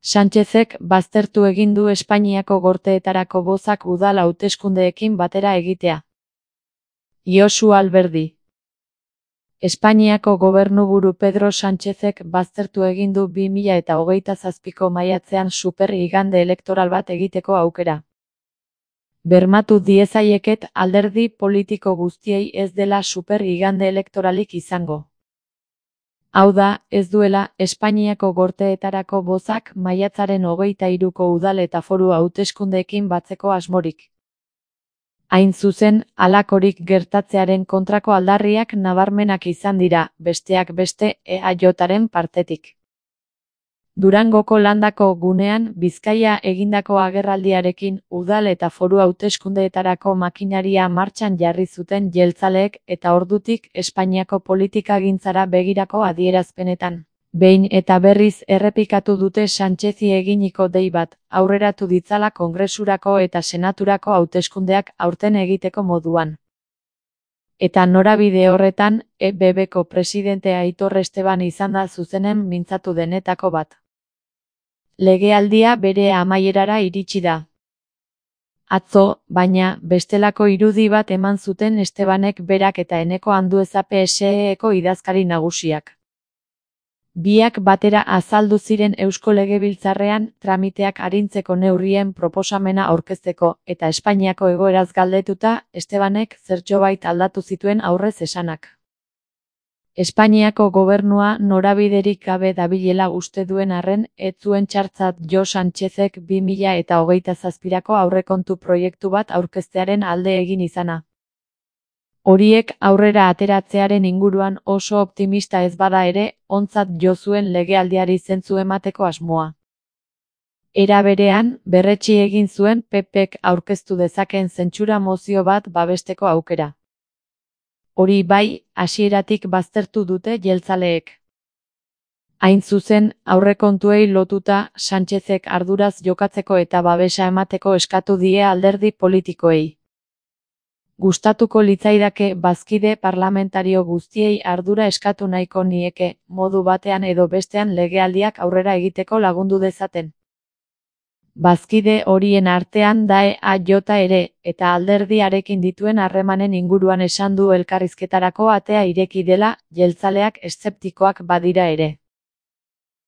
Sánchezek baztertu egin du Espainiako Gorteetarako bozak udal hauteskundeekin batera egitea. Josu Alberdi. Espainiako gobernuburu Pedro Sánchezek baztertu egin du 2027ko maiatzean super igande elektoral bat egiteko aukera. Bermatu diezaieket alderdi politiko guztiei ez dela super igande elektoralik izango. Hau da, ez duela, Espainiako Gorteetarako bozak maiatzaren 23ko udal eta foru hauteskundeekin batzeko asmorik. Hain zuzen, halakorik gertatzearen kontrako aldarriak nabarmenak izan dira, besteak beste, EAJaren partetik. Durangoko landako gunean Bizkaia egindako agerraldiarekin udal eta foru hauteskundeetarako makinaria martxan jarri zuten jeltzaleek eta ordutik Espainiako politikagintzara begirako adierazpenetan. Behin eta berriz errepikatu dute Sánchezi eginiko dei bat, aurreratu ditzala Kongresurako eta Senaturako hauteskundeak aurten egiteko moduan. Eta norabide horretan, EBBko presidentea Aitor Esteban izan da zuzenen mintzatu denetako bat. Legealdia bere amaierara iritsi da. Atzo, baina, bestelako irudi bat eman zuten Estebanek berak eta Eneko Andueza PSEko idazkari nagusiak. Biak batera azaldu ziren Eusko Legebiltzarrean tramiteak arintzeko neurrien proposamena aurkezteko, eta Espainiako egoeraz galdetuta, Estebanek zertxobait aldatu zituen aurrez esanak. Espainiako gobernua norabiderik gabe dabilela uste duen arren, ez zuen txartzat jo Sánchezek 2027ko aurrekontu proiektu bat aurkeztearen alde egin izana. Horiek aurrera ateratzearen inguruan oso optimista ez bada ere, ontzat jo zuen legealdiari zentzu emateko asmoa. Era berean, berretsi egin zuen PPk aurkeztu dezakeen zentsura mozio bat babesteko aukera. Hori bai, hasieratik baztertu dute jeltzaleek. Hain zuzen, aurrekontuei lotuta, Sánchezek arduraz jokatzeko eta babesa emateko eskatu die alderdi politikoei. Gustatuko litzaidake bazkide parlamentario guztiei ardura eskatu nahiko nieke, modu batean edo bestean legealdiak aurrera egiteko lagundu dezaten. Bazkide horien artean da EAJ ere, eta alderdiarekin dituen harremanen inguruan esan du elkarrizketarako atea ireki dela, jeltzaleak eszeptikoak badira ere.